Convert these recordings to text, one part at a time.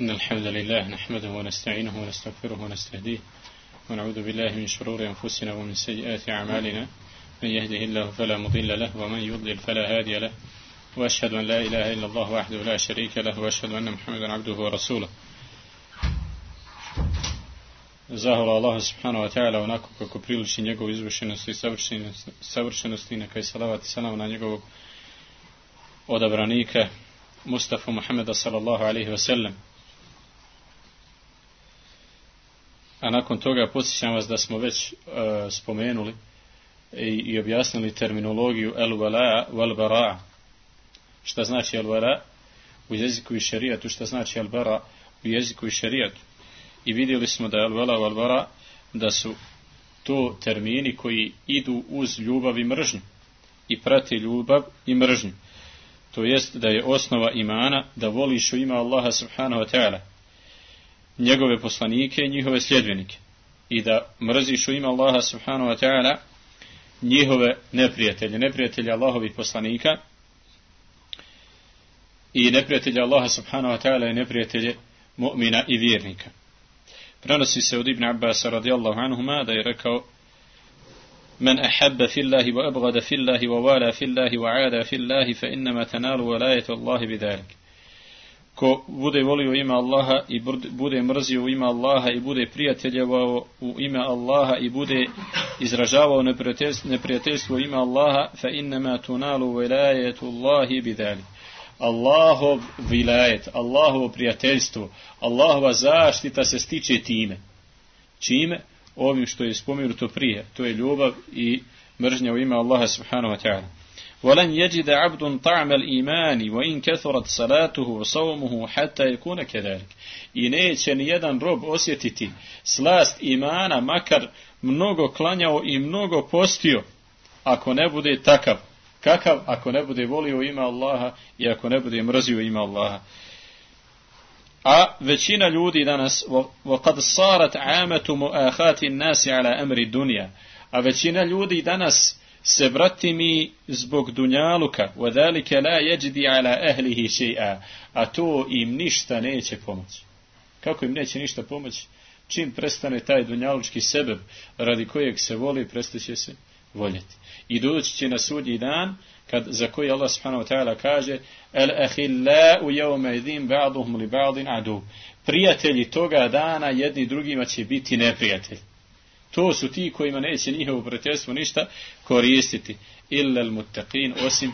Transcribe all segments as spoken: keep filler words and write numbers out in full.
إن الحمد لله نحمده ونستعينه ونستغفره ونستهديه ونعوذ بالله من شرور أنفسنا ومن سيئات أعمالنا من يهده الله فلا مضل له ومن يضلل فلا هادي له وأشهد أن لا إله إلا الله وحده لا شريك له وأشهد أن محمدا عبده ورسوله. Zahvala Allah subhanahu wa ta'ala onako kako priliči njegov izvršenosti i savršenosti, neka i salavat i salam na njegovog odabranika Mustafa Muhammeda sallallahu alaihi wa sallam. A nakon toga podsjećam vas da smo već uh, spomenuli i, i objasnili terminologiju al-wala wal-bara. Šta znači al-wala u jeziku i šerijatu, šta znači al-bara u jeziku i šerijatu. I vidjeli smo da je al-wala wal-bara, da su to termini koji idu uz ljubav i mržnju i prate ljubav i mržnju. To jest da je osnova imana da voliš u ime Allaha subhanahu wa ta'ala njegove poslanike i njihove sljedbenike i da mrziš u ime Allaha subhanahu wa ta'ala njihove neprijatelje, neprijatelje Allahovih poslanika i neprijatelje Allaha subhanahu wa ta'ala i neprijatelje mu'mina i vjernika. Prenosi se od Ibn Abbas radijallahu anhuma da je rekao: من أحب في الله وأبغض في الله ووالى في الله وعادى في الله فإنما تنال ولاية الله بذلك. Ko bude volio ime Allaha i bude mrzio u ime Allaha i bude prijateljevao u ime Allaha i bude izražavao neprijateljstvo u ime Allaha, fa innama tunalu wilayatu Allahi bidhalik. Allahov vilajet, Allahovo prijateljstvo, Allahova zaštita se stiče time. Čime? Ovim što je spomenuto prije, to je ljubav i mržnja u ime Allaha subhanahu wa ta'ala. وَلَنْ يَجِدَ عَبْدٌ طَعْمَ الْإِيمَانِ وَإِنْ كَثُرَتْ صَلَاتُهُ وَصَوْمُهُ حَتَّى يَكُونَ كَذَلِكَ. I neće ni jedan rob osjetiti slast imana, makar mnogo klanjao i mnogo postio, ako ne bude takav. Kakav? Ako ne bude volio ime Allaha i ako ne bude mrzio ime Allaha. A većina ljudi danas, وَقَدْ صَارَتْ عَامَةُ مُؤَاخَاتِ النَّاسِ عَلَى أَمْرِ الدُّنْيَا, a većina ljudi danas se bratimi zbog dunjaluka, وَذَلِكَ لَا يَجْدِ عَلَى أَهْلِهِ شَيْئًا, a to im ništa neće pomoći. Kako im neće ništa pomoći? Čim prestane taj dunjalučki sebeb radi kojeg se voli, prestaće se voljeti. I doći će na sudnji dan, kad, za koji Allah subhanahu wa ta'ala kaže: al-akhillau yawma idhin ba'duhum li ba'din adu. Prijatelji toga dana jedni drugima će biti neprijatelji. To su ti kojima neće njihovo prijateljstvo ništa koristiti. Illa al-muttaqin, osim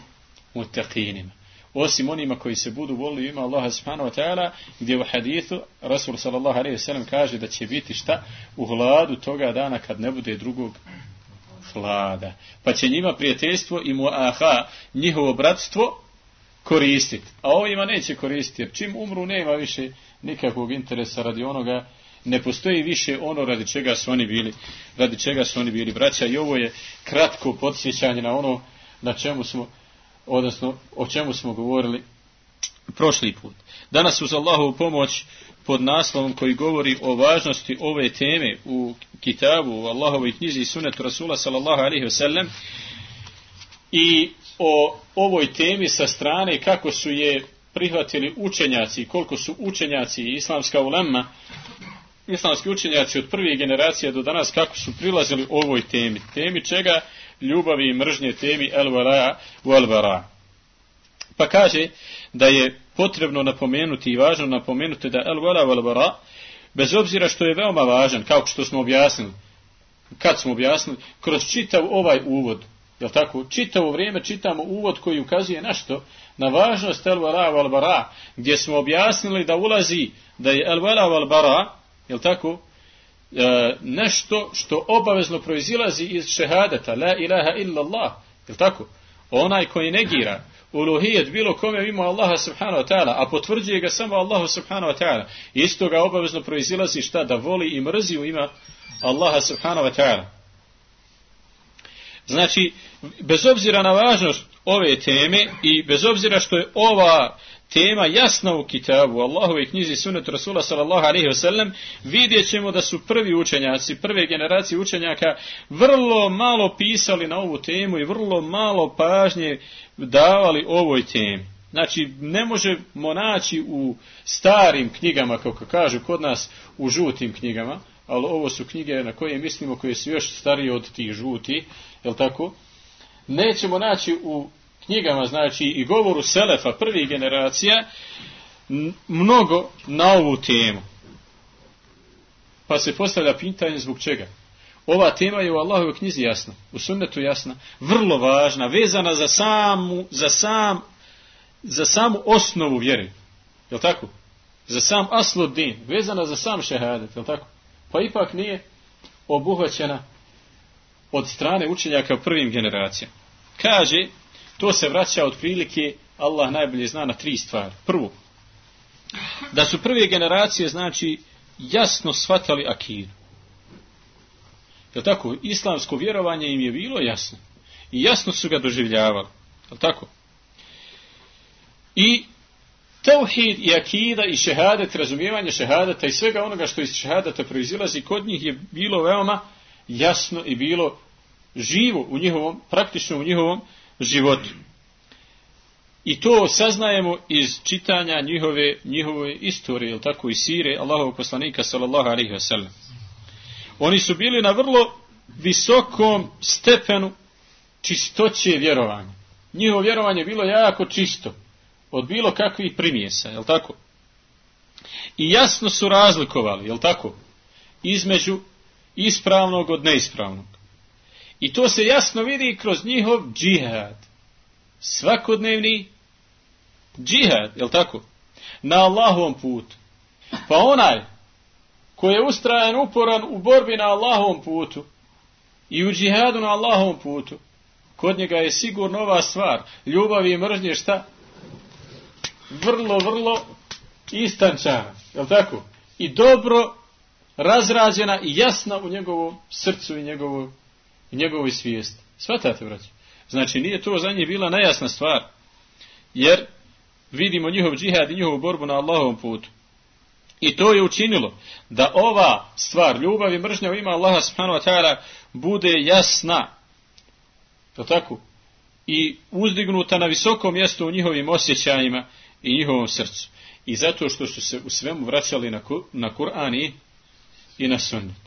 muttaqinima. Osim onima koji se budu volili ima Allaha subhanahu wa ta'ala, gdje u hadithu Rasul sallallahu alejhi ve sellem kaže da će biti šta? U hladu toga dana kad ne bude drugog hlada. Pa će njima prijateljstvo i muaha, njihovo bratstvo, koristiti. A ovima neće koristiti, jer čim umru nema više nikakvog interesa radi onoga, ne postoji više ono radi čega su oni bili, radi čega su oni bili braća. I ovo je kratko podsjećanje na ono na čemu smo, odnosno o čemu smo govorili prošli put. Danas uz Allahovu pomoć pod naslovom koji govori o važnosti ove teme u kitabu, u Allahovoj knjizi i sunnetu Rasula sallallahu alaihi wa sallam, i o ovoj temi sa strane kako su je prihvatili učenjaci, koliko su učenjaci i islamska ulema, islamski učenjaci od prve generacije do danas, kako su prilazili ovoj temi. Temi čega? Ljubavi i mržnje, temi al-wala wal-bara. Pa kaže da je potrebno napomenuti i važno napomenuti da al-wala wal-bara, bez obzira što je veoma važan, kao što smo objasnili, kad smo objasnili, kroz čitav ovaj uvod, jel tako, čitavo vrijeme čitamo uvod koji ukazuje na što? Na važnost al-wala wal-bara, gdje smo objasnili da ulazi, da je al-wala wal-bara, jel tako, e, nešto što obavezno proizilazi iz šehadeta, la ilaha illa Allah, jel tako, onaj koji negira uluhijet bilo kome ima Allaha subhanahu wa ta'ala, a potvrđuje ga samo Allahu subhanahu wa ta'ala, isto ga obavezno proizilazi šta? Da voli i mrzi u ima Allaha subhanahu wa ta'ala. Znači, bez obzira na važnost ove teme i bez obzira što je ova tema jasna u kitabu, Allahove knjizi sunnetu Rasula sallallahu alejhi ve sellem, vidjet ćemo da su prvi učenjaci, prve generacije učenjaka vrlo malo pisali na ovu temu i vrlo malo pažnje davali ovoj temi. Znači, ne možemo naći u starim knjigama, kako kažu kod nas, u žutim knjigama, ali ovo su knjige na koje mislimo, koje su još starije od tih žuti, jel tako? Nećemo naći u knjigama, znači, i govoru selefa prvih generacija, mnogo na ovu temu. Pa se postavlja pitanje zbog čega. Ova tema je u Allahovoj knjizi jasna, u sunnetu jasna, vrlo važna, vezana za samu, za sam, za samu osnovu vjere. Jel tako? Za sam aslud-din, vezana za sam šehadet, jel tako? Pa ipak nije obuhvaćena od strane učenjaka prvim generacijama. Kaže, to se vraća otprilike, Allah najbolje zna, na tri stvari. Prvo, da su prve generacije, znači, jasno shvatali akidu. Jel tako? Islamsko vjerovanje im je bilo jasno. I jasno su ga doživljavali. Jel tako? I tauhid i akida i šehadet, razumijevanje šehadeta i svega onoga što iz šehadeta proizilazi, kod njih je bilo veoma jasno i bilo živo u njihovom, praktično u njihovom životu. I to saznajemo iz čitanja njihove, njihove istorije, jel tako, i sire Allahovog poslanika sallallahu alejhi ve sellem. Oni su bili na vrlo visokom stepenu čistoće vjerovanja. Njihovo vjerovanje je bilo jako čisto od bilo kakvih primjesa, jel tako? I jasno su razlikovali, jel tako, između ispravnog od neispravnog. I to se jasno vidi kroz njihov džihad. Svakodnevni džihad, jel tako? Na Allahovom putu. Pa onaj koji je ustrajan, uporan u borbi na Allahovom putu i u džihadu na Allahovom putu, kod njega je sigurno ova stvar, ljubav i mržnje, šta? Vrlo, vrlo istančana, jel tako? I dobro razrađena i jasna u njegovom srcu i njegovoj, i njegovoj svijesti. Svatate, braći? Znači, nije to za njih bila najjasna stvar, jer vidimo njihov džihad i njihovu borbu na Allahovom putu. I to je učinilo da ova stvar, ljubav i mržnja u ime Allaha subhanahu wa ta'ala, bude jasna, to tako, i uzdignuta na visoko mjesto u njihovim osjećajima i njihovom srcu. I zato što su se u svemu vraćali na, na Kur'an i, i na sunnet.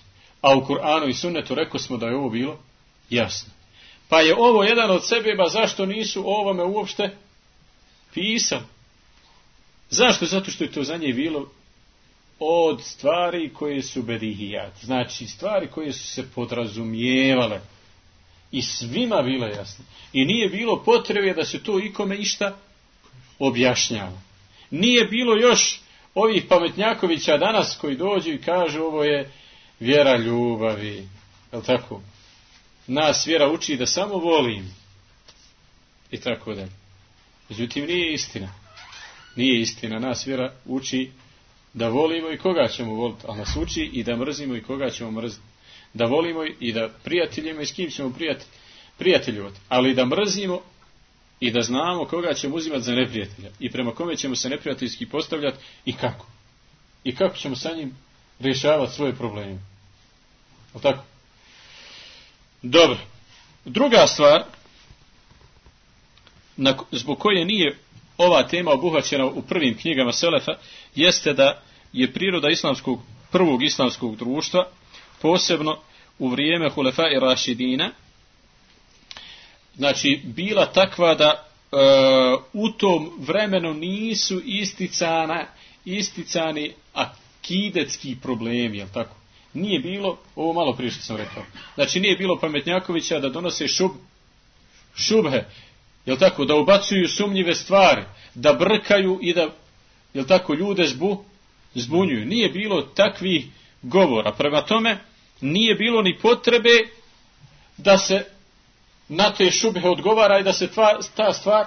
A u Kur'anu i sunnetu rekao smo da je ovo bilo jasno. Pa je ovo jedan od sebeba zašto nisu o ovome uopšte pisali. Zašto? Zato što je to za nje bilo od stvari koje su bedihijat. Znači stvari koje su se podrazumijevale. I svima bilo jasno. I nije bilo potrebe da se to ikome išta objašnjava. Nije bilo još ovih pametnjakovića danas koji dođu i kažu ovo je vjera ljubavi. Je li tako? Nas vjera uči da samo volim. I tako dalje. Međutim, nije istina. Nije istina. Nas vjera uči da volimo i koga ćemo voliti. Ali nas uči i da mrzimo i koga ćemo mrziti. Da volimo i da prijateljimo i s kim ćemo prijatelj, prijateljivati. Ali da mrzimo i da znamo koga ćemo uzimati za neprijatelja. I prema kome ćemo se neprijateljski postavljati i kako. I kako ćemo sa njim rješavati svoje probleme. O tako? Dobro. Druga stvar na, zbog koje nije ova tema obuhvaćena u prvim knjigama Selefa jeste da je priroda islamskog, prvog islamskog društva, posebno u vrijeme Hulefa i Rašidina, znači bila takva da e, u tom vremenu nisu isticana, isticani akidetski problemi, jel tako? Nije bilo, ovo malo prije što sam rekao, znači nije bilo pametnjakovića da donose šub, šubhe, jel tako, da ubacuju sumnjive stvari, da brkaju i da, jel tako, ljude zbu, zbunjuju. Nije bilo takvih govora. Prema tome, nije bilo ni potrebe da se na te šubhe odgovara i da se tva, ta stvar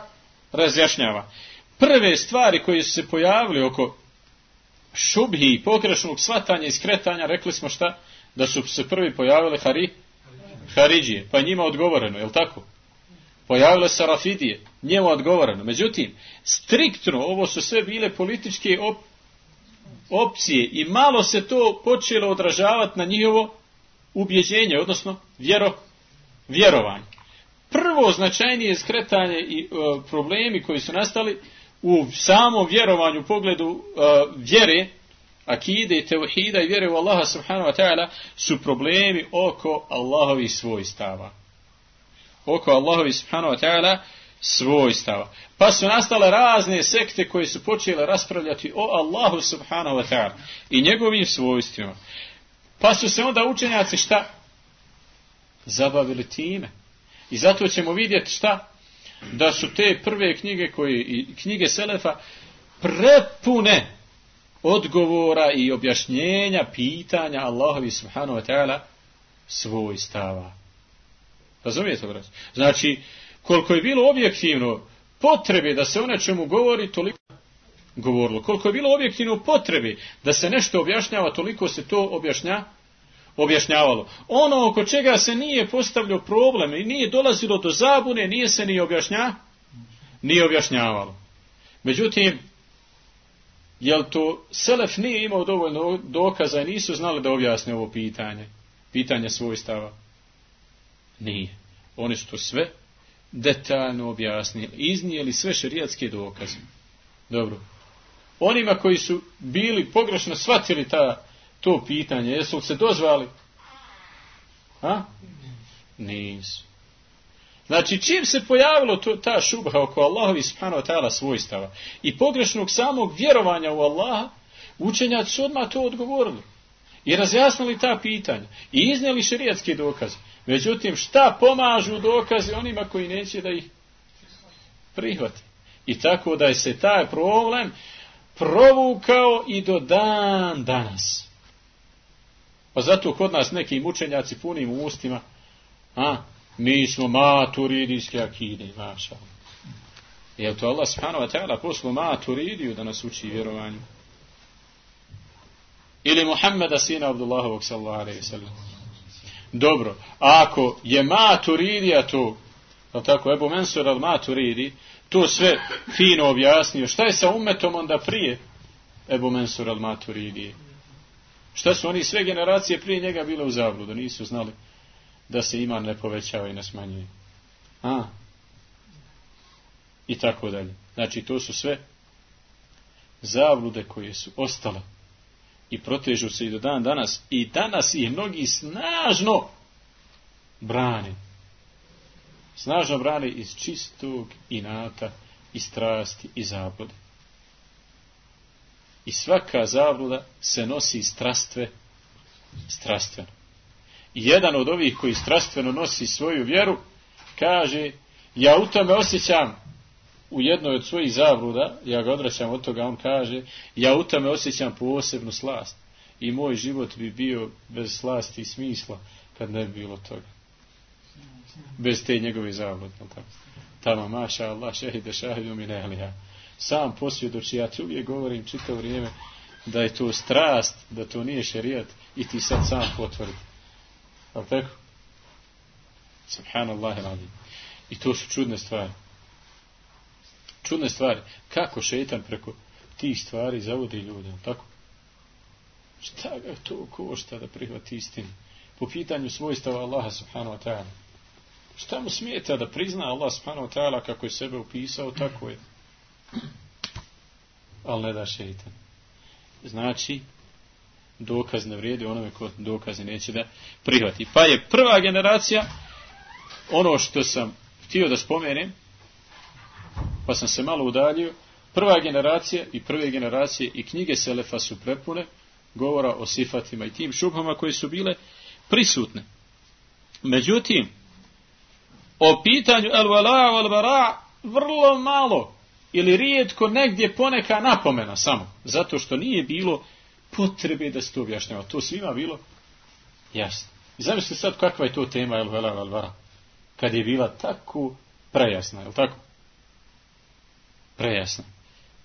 razjašnjava. Prve stvari koje su se pojavili oko šubhi i pogrešnog shvatanja i skretanja, rekli smo šta? Da su se prvi pojavile hari, Haridžije, pa njima odgovoreno, je li tako? Pojavile se Rafidije, njima odgovoreno. Međutim, striktno, ovo su sve bile političke op, opcije i malo se to počelo odražavati na njihovo ubjeđenje, odnosno vjero, vjerovanje. Prvo značajnije skretanje i e, problemi koji su nastali u samom vjerovanju, u pogledu uh, vjere, akide, tevhida i vjere u Allaha subhanahu wa ta'ala, su problemi oko Allahovih svojstava. Oko Allahovih subhanahu wa ta'ala svojstava. Pa su nastale razne sekte koje su počele raspravljati o Allahu subhanahu wa ta'ala i njegovim svojstvima. Pa su se onda učenjaci šta? Zabavili time. I zato ćemo vidjeti šta? Da su te prve knjige koje, i knjige Selefa prepune odgovora i objašnjenja pitanja Allahovi subhanahu wa ta'ala svojstava. Razumijete, braći? Znači, koliko je bilo objektivno potrebe da se o nečemu govori, toliko govorilo. Koliko je bilo objektivno potrebe da se nešto objašnjava, toliko se to objašnja, objašnjavalo. Ono oko čega se nije postavljao problem i nije dolazilo do zabune, nije se ni objašnja, nije objašnjavalo. Međutim, jel to Selef nije imao dovoljno dokaza i nisu znali da objasne ovo pitanje? Pitanje svojstava? Nije. Oni su to sve detaljno objasnili. Iznijeli sve šerijatske dokaze. Dobro. Onima koji su bili pogrešno shvatili ta, to pitanje, jesu li se dozvali? A? Nisu. Znači, čim se pojavilo to, ta šubha oko Allahovi subhanahu wa ta'ala svojstava i pogrešnog samog vjerovanja u Allaha, učenjaci su odmah to odgovorili i razjasnili ta pitanja i iznijeli šerijatske dokaze. Međutim, šta pomažu dokazi onima koji neće da ih prihvati? I tako da je se taj problem provukao i do dan danas. Pa zato kod nas nekim učenjaci punim u ustima, a, mi smo maturidijski akide, maša. Je to Allah subhanahu wa ta'ala poslao maturidiju da nas uči vjerovanju? Ili Muhammeda sina Abdullahovog sallallahu alejhi ve sellem? Dobro, ako je maturidija to, tako, Ebu Mensur al-Maturidi, to sve fino objasnio, šta je sa ummetom onda prije Ebu Mensur al-Maturidi? Šta su oni sve generacije prije njega bile u zabludu, nisu znali da se iman ne povećava i ne smanjuje. A? I tako dalje. Znači, to su sve zablude koje su ostale i protežu se i do dan danas. I danas ih mnogi snažno brane. Snažno brane iz čistog inata i strasti i zablude. I svaka zabluda se nosi strastve, strastveno. I jedan od ovih koji strastveno nosi svoju vjeru, kaže, ja u tome osjećam, u jednoj od svojih zabluda, ja ga odvraćam od toga, on kaže, ja u tome osjećam posebnu slast. I moj život bi bio bez slasti i smisla, kad ne bi bilo toga. Bez te njegove zablude. Tamo, maša Allah, šehide šahidu mi nehlija. Sam posvjedoči, ja ti uvijek govorim čitavo vrijeme da je to strast, da to nije šerijat i ti sad sam potvrdi. Ali tako? Subhanallah iladim. I to su čudne stvari. Čudne stvari. Kako šeitan preko tih stvari zavodi ljude. Tako? Šta ga to košta da prihvati istinu? Po pitanju svojstava Allaha subhanahu wa ta'ala. Šta mu smijeta da prizna Allah subhanahu wa ta'ala kako je sebe upisao, tako je. Ali ne da šeitan. Znači, dokaz ne vrijedi onome ko dokazi neće da prihvati. Pa je prva generacija, ono što sam htio da spomenem, pa sam se malo udaljio, prva generacija i prve generacije i knjige Selefa su prepune govora o sifatima i tim šubhama koje su bile prisutne. Međutim, o pitanju al-wala wal-bara vrlo malo ili rijetko negdje poneka napomena samo, zato što nije bilo potrebe da se to objašnjava. To svima bilo jasno. I zamislite sad kakva je to tema al-wala wal-bara, kad je bila tako prejasna, je li tako? Prejasna.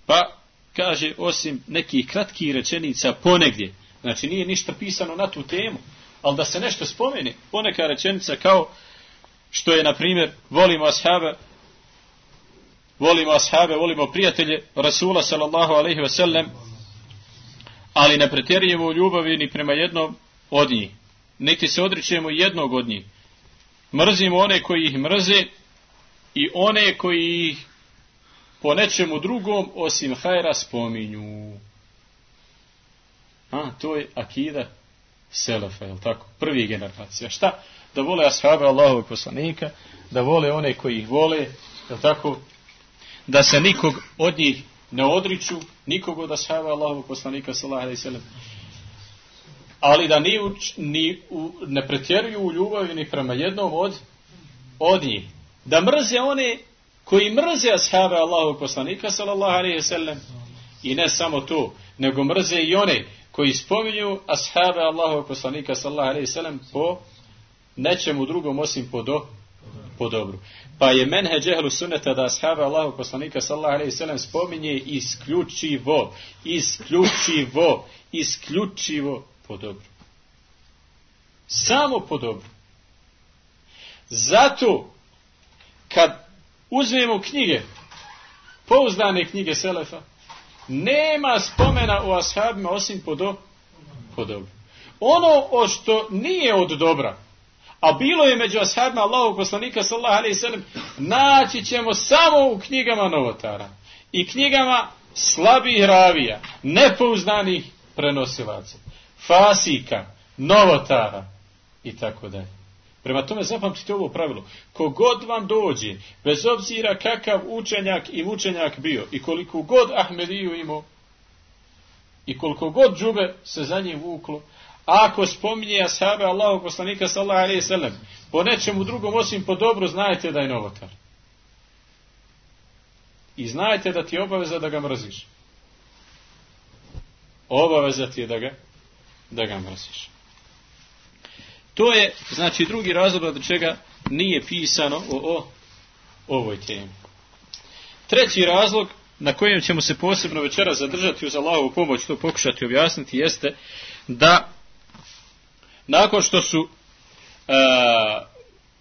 Pa, kaže, osim nekih kratkih rečenica ponegdje, znači nije ništa pisano na tu temu, ali da se nešto spomeni, poneka rečenica kao što je, na primjer, volimo ashabe, volimo ashabe, volimo prijatelje Rasula sallallahu alejhi ve sellem, ali ne pretjerujemo u ljubavi ni prema jednom od njih, niti se odričemo jednog od njih. Mrzimo one koji ih mrze i one koji ih po nečemu drugom osim hajra spominju. A, to je akida selefa, je li tako? Prvi generacija. Šta? Da vole ashabe Allahovog poslanika, da vole one koji ih vole, je li tako? Da se nikog od njih ne odriču, nikog od ashaba Allahovog poslanika sallallahu alejhi ve sellem. Ali da ni, uč, ni u, ne pretjeruju u ljubavi ni prema jednom od, od njih. Da mrze one koji mrze ashaba Allahovog poslanika sallallahu alejhi ve sellem. I ne samo to, nego mrze i one koji spominju ashaba Allahovog poslanika sallallahu alejhi ve sellem po nečemu drugom osim po, do, po dobru. Pa je menheđ ehlu sunneta da ashaba Allahovog poslanika sallallahu alejhi ve sellem spominje isključivo, isključivo, isključivo po dobru. Samo po dobru. Zato kad uzmemo knjige, pouzdane knjige selefa, nema spomena o ashabima osim po, do, po dobru. Ono o što nije od dobra, a bilo je među ashabima Allahovog poslanika sallallahu alejhi ve sellem, naći ćemo samo u knjigama novotara i knjigama slabih ravija, nepouzdanih prenosilaca, fasika, novotara i tako dalje. Prema tome zapamtite ovo pravilo. Kogod vam dođe, bez obzira kakav učenjak i mučenjak bio i koliko god Ahmediju imao i koliko god džube se za njim vuklo, ako spominje ashabe Allahovog poslanika sallallahu alejhi ve sellem po nečemu drugom osim po dobru, znajte da je novotar. I znajte da ti je obaveza da ga mrziš. Obaveza ti je da ga, da ga mrziš. To je, znači, drugi razlog od čega nije pisano o, o ovoj temi. Treći razlog na kojem ćemo se posebno večera zadržati uz Allahovu pomoć, to pokušati objasniti, jeste da nakon što su e,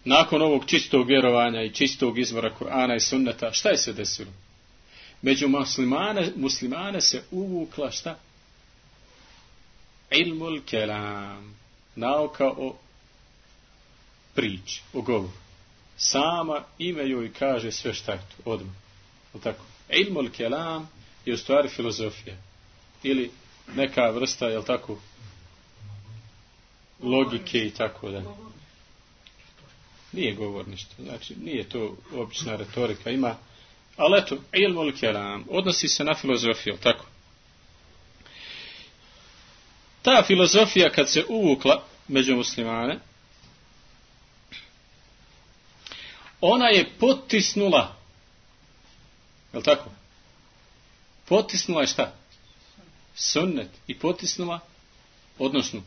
nakon ovog čistog vjerovanja i čistog izvora Kur'ana i sunneta, šta je se desilo? Među muslimane, muslimane se uvukla šta? Ilmul kelam, nauka o priči, o govoru. Sama ime joj kaže sve šta je tu, odmah. Tako? Ilmul kelam je u stvari filozofija. Ili neka vrsta, jel tako, logike i tako da. Nije govor ništa. Znači, nije to obična retorika. Ima, ali eto, ilmul kelam odnosi se na filozofiju, tako? Ta filozofija kad se uvukla među muslimane, ona je potisnula, je li tako? Potisnula je šta? Sunnet. I potisnula, odnosno,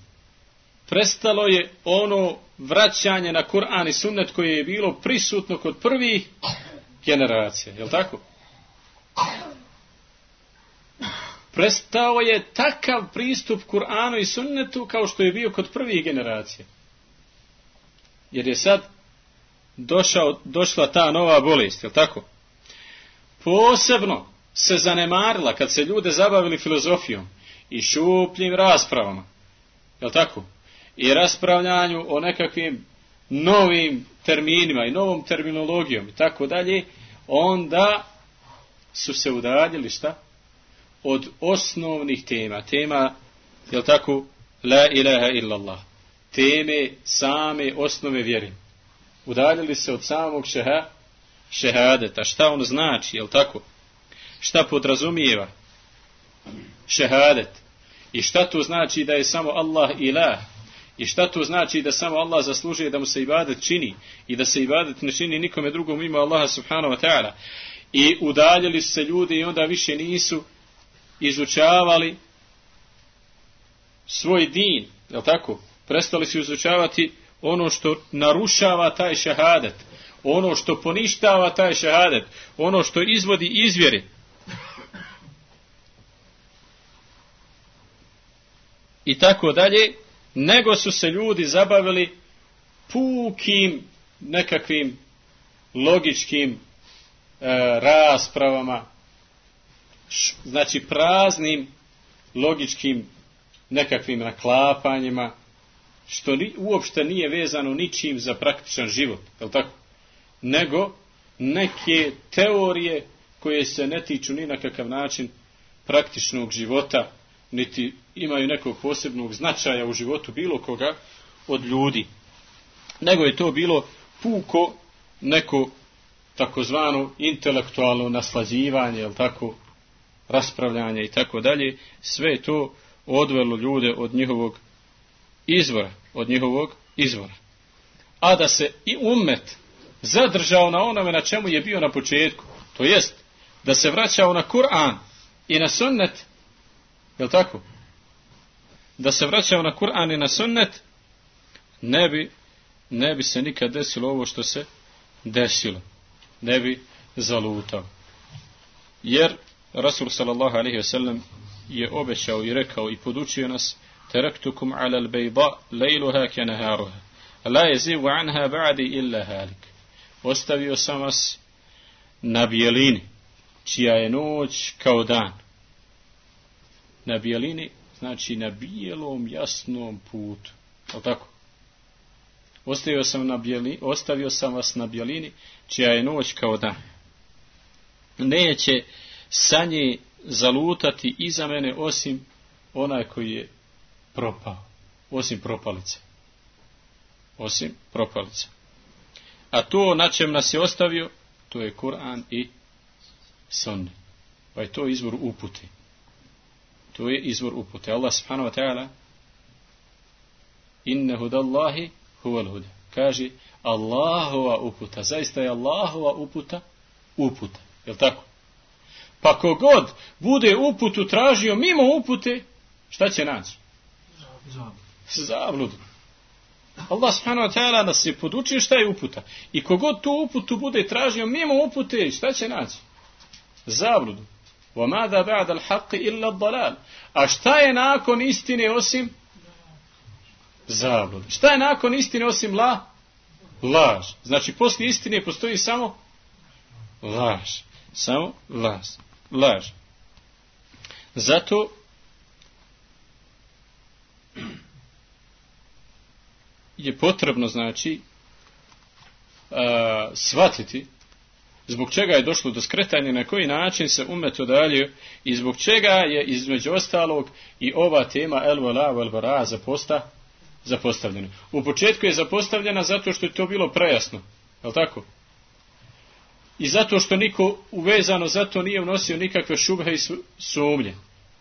prestalo je ono vraćanje na Kur'an i sunnet koje je bilo prisutno kod prvih generacija, je li tako? Prestao je takav pristup Kur'anu i sunnetu kao što je bio kod prvih generacija. Jer je sad došao, došla ta nova bolest, je li tako? Posebno se zanemarila kad se ljude zabavili filozofijom i šupljim raspravama, je li tako? I raspravljanju o nekakvim novim terminima i novom terminologijom i tako dalje, onda su se udaljili šta? Od osnovnih tema, tema, jel tako, la ilaha illallah, teme same osnove vjere. Udaljili se od samog šeha, šehadeta, šta on znači, jel tako, šta podrazumijeva šehadet i šta to znači da je samo Allah ilah i šta to znači da samo Allah zaslužuje da mu se ibadet čini i da se ibadet ne čini nikome drugom mimo Allaha subhanahu wa ta'ala. I udaljili se ljudi i onda više nisu izučavali svoj din, je li tako? Prestali su izučavati ono što narušava taj šehadet, ono što poništava taj šehadet, ono što izvodi iz vjere. I tako dalje, nego su se ljudi zabavili pukim nekakvim logičkim e, raspravama, znači praznim logičkim nekakvim naklapanjima, što ni, uopšte nije vezano ničim za praktičan život, je li tako? Nego neke teorije koje se ne tiču ni na kakav način praktičnog života, niti imaju nekog posebnog značaja u životu bilo koga od ljudi. Nego je to bilo puko neko takozvano intelektualno naslađivanje, jel tako, raspravljanje i tako dalje. Sve je to odvelo ljude od njihovog izvora, od njihovog izvora. A da se i ummet zadržao na onome na čemu je bio na početku, to jest da se vraćao na Kur'an i na sunnet, jel tako? Da se vraćao na Kur'an i na sunnet, ne bi, ne bi se nikad desilo ovo što se desilo. Ne bi zalutao. Jer Rasul sallallahu alejhi ve sellem je obećao i rekao i podučio nas: "Taraktukum ala al-bayda laylaha ka naharuha, la yazigu anha ba'di illa halik." Ostavio sam vas na bijelini, čija je noć kao dan. Na bijelini znači na bijelom jasnom putu. Je tako? Ostavio sam, na bijeli, ostavio sam vas na bijelini, čija je noć kao dan. Neće sa nje zalutati iza mene osim onaj koji je propao. Osim propalice. Osim propalice. A to na čem nas je ostavio, to je Kur'an i sunnet. Pa je to izvor upute. To je izvor upute. Allah subhanahu wa ta'ala: "Inna hudallahi huwal huda." Kaže Allahova uputa. Zaista je Allahova uputa uputa. Jel tako? Pa kogod bude uputu tražio mimo upute, šta će naći? Zabludu. Allah subhanahu wa ta'ala nas je podučio šta je uputa. I kogod tu uputu bude tražio mimo upute, šta će naći? Zabludu. وَمَاذَا بَعْدَ الْحَقِّ إِلَّا الضَّلَالِ. A šta je nakon istine osim zabludu? Šta je nakon istine osim la? Laž. Znači poslije istine postoji samo laž. Samo laž. Laž. Zato je potrebno, znači, a, shvatiti zbog čega je došlo do skretanja, na koji način se ummet udaljio i zbog čega je između ostalog i ova tema el vala vel bara zaposta, zapostavljena. U početku je zapostavljena zato što je to bilo prejasno. Je li tako? I zato što niko uvezano zato nije unosio nikakve šubhe i sumnje.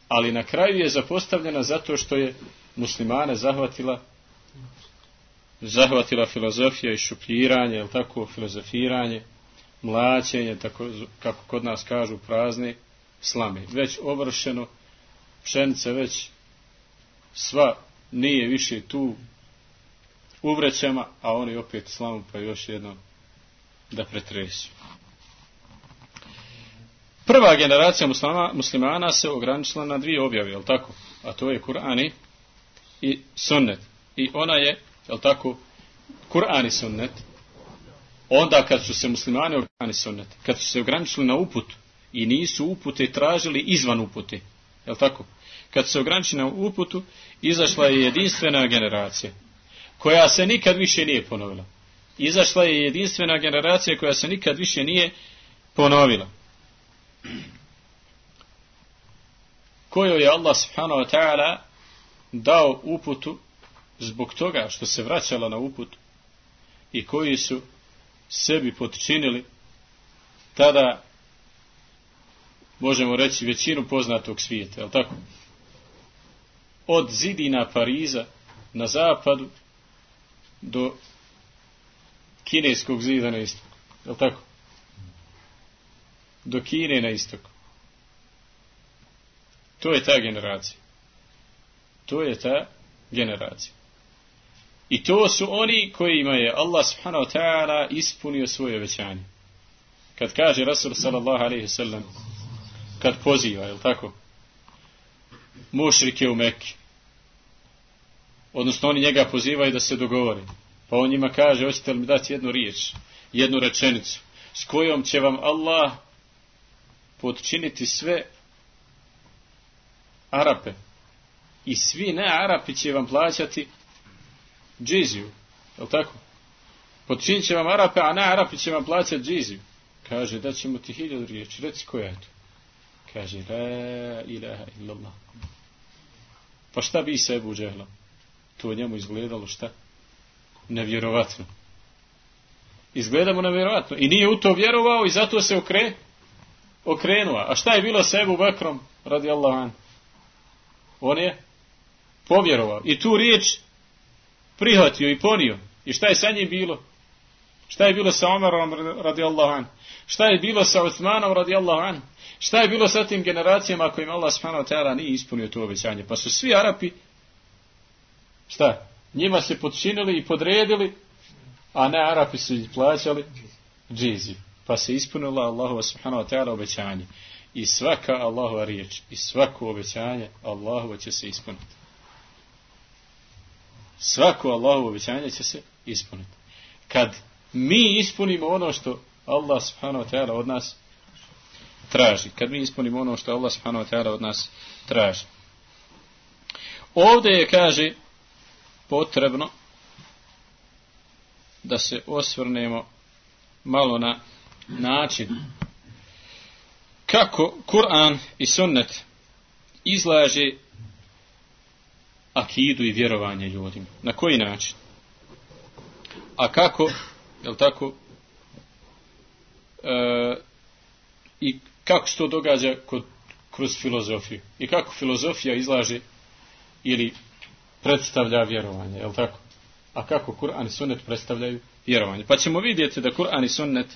Ali na kraju je zapostavljena zato što je muslimane zahvatila zahvatila filozofija i šupljiranje, je li tako, filozofiranje, mlaćenje, tako kako kod nas kažu, prazne slame. Već ovršeno, pšenica već sva nije više tu u vrećama, a oni opet slamu pa još jednom da pretresu. Prva generacija muslima, muslimana se ograničila na dvije objave, je li tako? A to je Kur'an i sunnet. I ona je, je li tako, Kur'an i sunnet. Onda kad su se muslimani ograničili sunnet, kad su se ograničili na uput i nisu upute tražili izvan upute, je li tako? Kad su se ograničili na uputu, izašla je jedinstvena generacija koja se nikad više nije ponovila. Izašla je jedinstvena generacija koja se nikad više nije ponovila. Kojoj je Allah subhanahu wa ta'ala dao uputu zbog toga što se vraćala na uput i koji su sebi potčinili tada, možemo reći, većinu poznatog svijeta, je li tako? Od zidina Pariza na zapadu do kineskog zida na istoku, je li tako? Do Kine na istoku. To je ta generacija. To je ta generacija. I to su oni kojima je Allah subhanahu wa ta'ala ispunio svoje obećanje. Kad kaže Rasul sallallahu alejhi ve sellem, kad poziva, je li tako, mušrike u Mekki, odnosno oni njega pozivaju da se dogovore, pa on njima kaže: hoćete li mi dati jednu riječ, jednu rečenicu s kojom će vam Allah potčiniti sve Arape i svi ne Arapi će vam plaćati džiziju, je li tako? Potčinit će vam Arape, a ne Arapi će vam plaćati džiziju. Kaže, da ćemo ti hiljadu riječi, reci koja je to? Kaže, la ilaha illallah. Pa šta bi se Ebu Džehla? To njemu izgledalo šta? Nevjerovatno. Izgledamo nevjerovatno. I nije u to vjerovao i zato se okre, okrenuo. A šta je bilo sa Ebu Bekrom, radijallahu anhu? On je povjerovao. I tu riječ prihvatio i ponio. I šta je sa njim bilo? Šta je bilo sa Omerom, radijallahu anhu? Šta je bilo sa Uthmanom, radijallahu anhu? Šta je bilo sa tim generacijama kojim Allah subhanahu wa ta'ala nije ispunio to obećanje? Pa su svi Arapi, šta? Njima se podčinili i podredili, a ne Arapi su ih plaćali džiziju. Pa se ispunila Allahova subhanahu wa ta'ala obećanje. I svaka Allahova riječ, i svako obećanje Allahova će se ispuniti. Svako Allahovo obećanje će se ispuniti. Kad mi ispunimo ono što Allah subhanahu wa ta'ala od nas traži. Kad mi ispunimo ono što Allah subhanahu wa ta'ala od nas traži. Ovdje je, kaže, potrebno da se osvrnemo malo na način kako Kur'an i sunnet izlaže akidu i vjerovanje ljudima. Na koji način? A kako, jel tako, e, i kako se to događa kod, kroz filozofiju? I kako filozofija izlaže ili predstavlja vjerovanje, jel tako? A kako Kur'an i sunnet predstavljaju vjerovanje? Pa ćemo vidjeti da Kur'an i sunnet,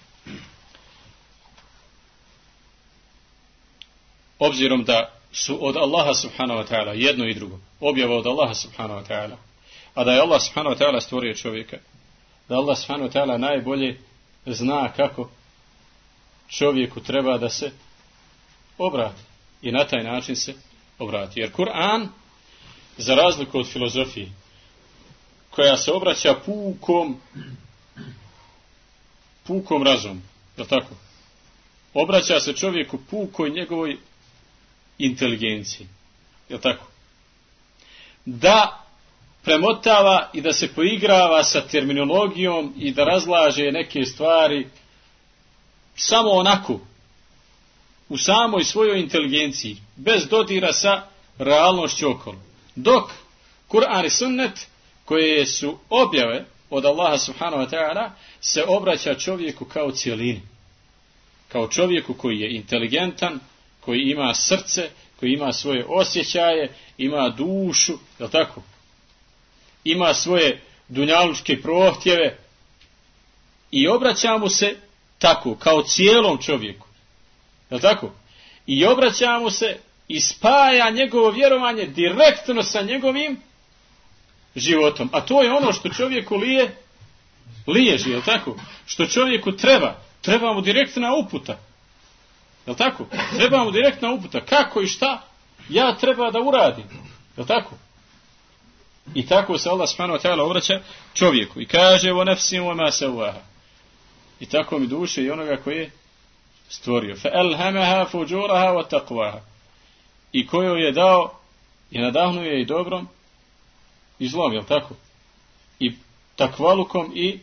obzirom da su od Allaha subhanahu wa ta'ala jedno i drugo, objava od Allaha subhanahu wa ta'ala, a da je Allah subhanahu wa ta'ala stvorio čovjeka, da Allah subhanahu wa ta'ala najbolje zna kako čovjeku treba da se obrati i na taj način se obrati. Jer Kur'an, za razliku od filozofije, koja se obraća pukom pukom razum, je li tako? Obraća se čovjeku pukoj njegovoj inteligenciji, je li tako? Da premotava i da se poigrava sa terminologijom i da razlaže neke stvari samo onako, u samoj svojoj inteligenciji, bez dodira sa realnošću okolo. Dok Kur'an i sunnet, koje su objave od Allaha subhanahu wa ta'ala, se obraća čovjeku kao cijelini. Kao čovjeku koji je inteligentan, koji ima srce, koji ima svoje osjećaje, ima dušu, je li tako? Ima svoje dunjalučke prohtjeve i obraća mu se tako, kao cijelom čovjeku. Je li tako? I obraća mu se i spaja njegovo vjerovanje direktno sa njegovim životom. A to je ono što čovjeku lije, liježi, je li tako? Što čovjeku treba. Treba mu direktna uputa. Je li tako? Treba mu direktna uputa. Kako i šta ja treba da uradim. Je li tako? I tako se Allah subhanahu wa ta'ala obraća čovjeku. I kaže o nefsim wa ma sawaha. I tako mi duše i onoga koji je stvorio. Fa alhamaha fujuraha wa taqwaha. I koju je dao i nadahnuo je i dobrom i zlom, je li tako? I takvalukom i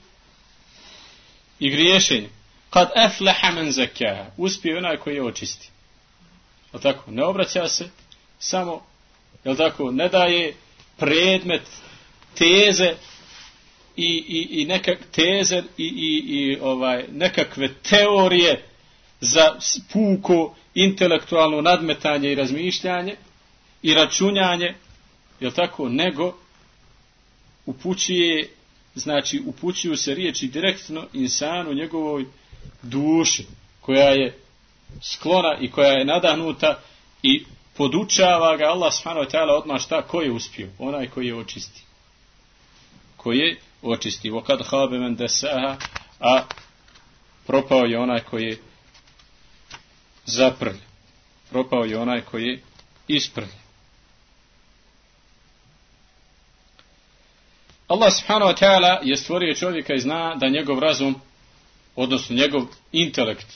i griješenjem. Kad aflaha man zakkaha. Uspije onaj koji je očisti. Je li tako? Ne obraća se samo, je li tako, ne daje predmet teze i, i, i nekak teze i, i, i ovaj, nekakve teorije za puko intelektualno nadmetanje i razmišljanje i računjanje, je li tako, nego upućuje, znači upućuju se riječi direktno insanu, njegovoj duši, koja je sklona i koja je nadahnuta i podučava ga Allah subhanahu wa ta'ala odmah šta, ko je uspio? Onaj koji je očisti. Koji je očisti. وَقَدْ خَابَ مَنْ دَسَّاهَا. A propao je onaj koji je zaprlj. Propao je onaj koji je isprlj. Allah subhanahu wa ta'ala je stvorio čovjeka i zna da njegov razum, odnosno njegov intelekt,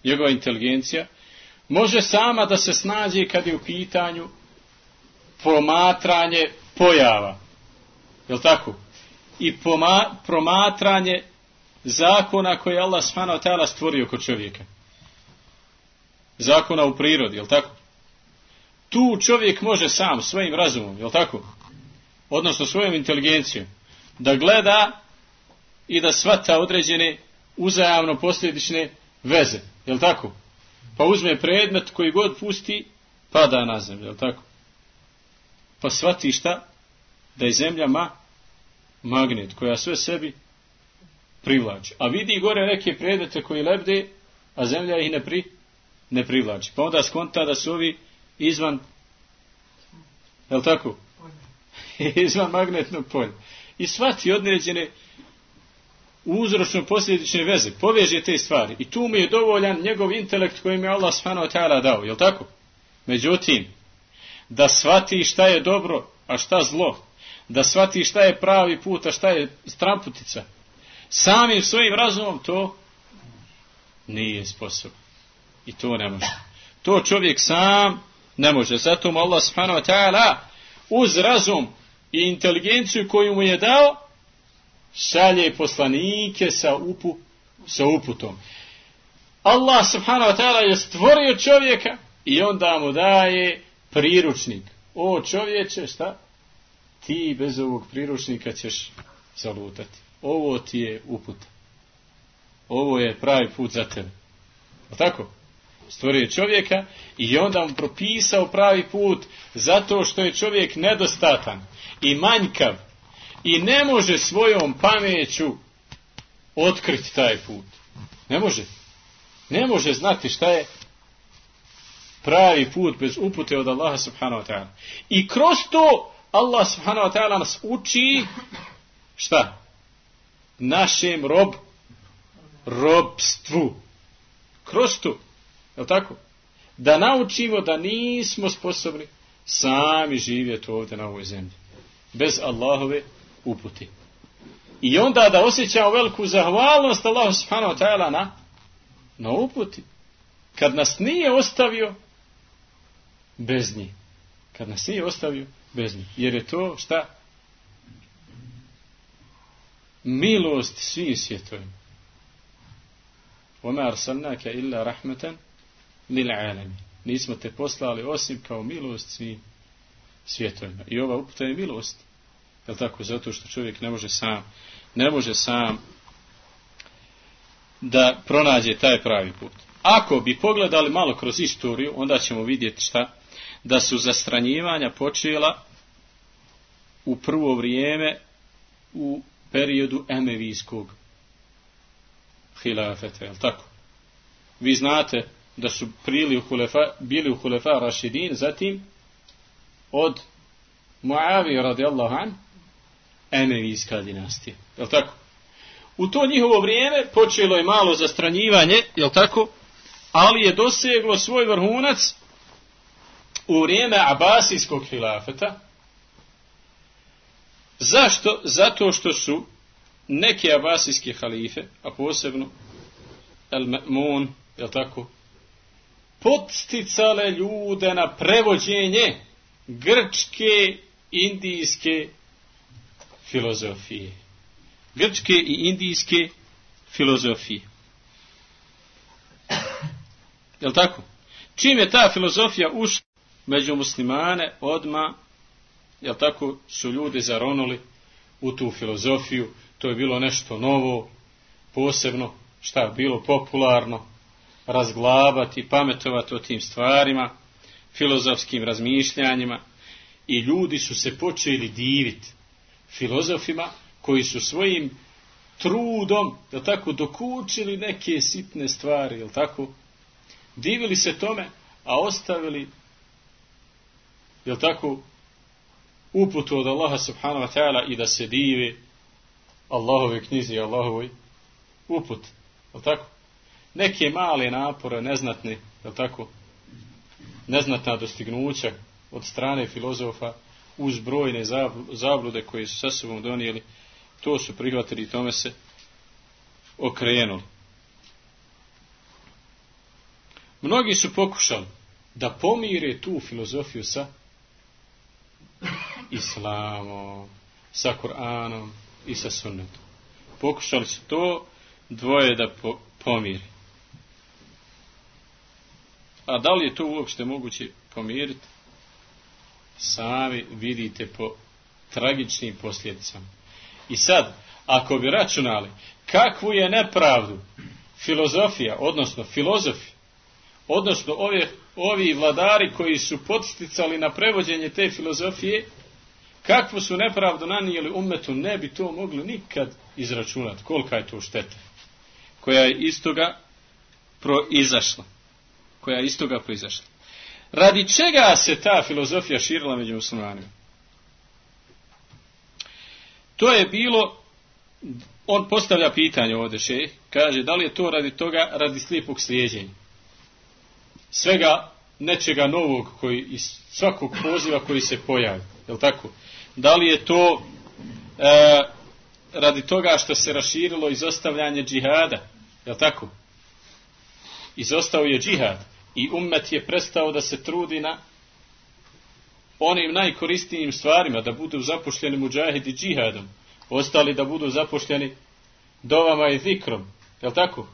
njegova inteligencija, može sama da se snađe kad je u pitanju promatranje pojava. Je li tako? I poma, promatranje zakona koje je Allah subhanahu wa ta'ala stvorio kod čovjeka. Zakona u prirodi, jel tako? Tu čovjek može sam, svojim razumom, jel tako? Odnosno svojom inteligencijom, da gleda i da shvata određene uzajamno posljedične veze, jel tako? Pa uzme predmet koji god pusti, pada na zemlju, jel tako? Pa shvati šta? Da je zemlja ma, magnet, koja sve sebi privlači. A vidi gore neke predmete koji lebde, a zemlja ih ne, pri, ne privlači. Pa onda skonta da su ovi izvan, jel tako? Izvan magnetnog polja. I shvati određene uzročno posljedične veze, poveže te stvari. I tu mu je dovoljan njegov intelekt koji mi je Allah subhanahu wa ta'ala dao, jel tako? Međutim, da shvati šta je dobro, a šta zlo, da shvati šta je pravi put, a šta je stramputica, samim svojim razumom to nije sposoban. I to ne može. To čovjek sam ne može. Zato mu Allah subhanahu wa ta'ala uz razum i inteligenciju koju mu je dao, šalje poslanike sa, upu, sa uputom. Allah subhanahu wa ta'ala je stvorio čovjeka i onda mu daje priručnik. O čovječe, šta? Ti bez ovog priručnika ćeš zalutati. Ovo ti je uputa. Ovo je pravi put za tebe. O tako? Stvorio čovjeka i onda mu propisao pravi put zato što je čovjek nedostatan i manjkav i ne može svojom pameću otkriti taj put. Ne može. Ne može znati šta je pravi put bez upute od Allaha subhanahu wa ta'ala. I kroz to Allah subhanahu wa ta'ala nas uči šta? Našem rob robstvu. Kroz to. Je li tako? Da naučimo da nismo sposobni sami živjeti ovdje na ovoj zemlji. Bez Allahove upute. I onda da osjećamo veliku zahvalnost Allahu subhanahu wa ta'ala na, na uputi. Kad nas nije ostavio bez njih. Kad nas nije ostavio bez njih. Jer je to šta? Milost svim svjetovima. وَمَا أَرْسَلْنَاكَ إِلَّا رَحْمَةً لِلْعَالَمِينَ. Nismo te poslali osim kao milost svim svjetovima. I ova uputa je milost. Je li tako? Zato što čovjek ne može sam, ne može sam da pronađe taj pravi put. Ako bi pogledali malo kroz istoriju, onda ćemo vidjeti šta? Da su zastranjivanja počela u prvo vrijeme u periodu emevijskog hilafeta, je li tako? Vi znate da su prili u hulefa, bili u hulefa Rašidin, zatim od Muavije radijallahu an, emevijska dinastija, je li tako? U to njihovo vrijeme počelo je malo zastranjivanje, je li tako? Ali je doseglo svoj vrhunac u vrijeme Abasijskog hilafeta. Zašto? Zato što su neke abasijske halife, a posebno El-Ma'mun, je li tako, podsticale ljude na prevođenje grčke, indijske filozofije. Grčke i indijske filozofije. Je li tako? Čim je ta filozofija ušla među muslimane, odma, je li tako, su ljudi zaronuli u tu filozofiju. To je bilo nešto novo, posebno, šta, bilo popularno, razglabati, pametovati o tim stvarima, filozofskim razmišljanjima, i ljudi su se počeli diviti filozofima koji su svojim trudom, da tako, dokučili neke sitne stvari, jel tako, divili se tome, a ostavili, jel tako, uputu od Allaha subhanahu wa ta'ala i da se dive Allahove knjizi i Allahovoj uput, jel tako? Neke male napore, neznatne, jel tako, neznatna dostignuća od strane filozofa uz brojne zablude koje su sa sobom donijeli, to su prihvatili i tome se okrenuli. Mnogi su pokušali da pomire tu filozofiju sa islamom, sa Kur'anom i sa sunnetom. Pokušali su to dvoje da po, pomiri. A da li je to uopšte moguće pomiriti? Sami vidite po tragičnim posljedicama. I sad, ako bi računali kakvu je nepravdu filozofija, odnosno filozofi, odnosno ove, ovi vladari koji su podsticali na prevođenje te filozofije, kakvu su nepravdu nanijeli ummetu, ne bi to mogli nikad izračunati. Kolika je to šteta koja je iz toga proizašla. Koja je iz toga proizašla. Radi čega se ta filozofija širila među muslimanima? To je bilo, on postavlja pitanje ovdje, šejh, kaže da li je to radi toga, radi slijepog slijeđenja. Svega nečega novog koji iz svakog poziva koji se pojavi. Je li tako? Da li je to e, radi toga što se raširilo izostavljanje džihada? Je li tako? Izostao je džihad i ummet je prestao da se trudi na onim najkorisnijim stvarima, da budu zapošljeni muđahidi džihadom, ostali da budu zapošljeni dovama i zikrom. Je li tako?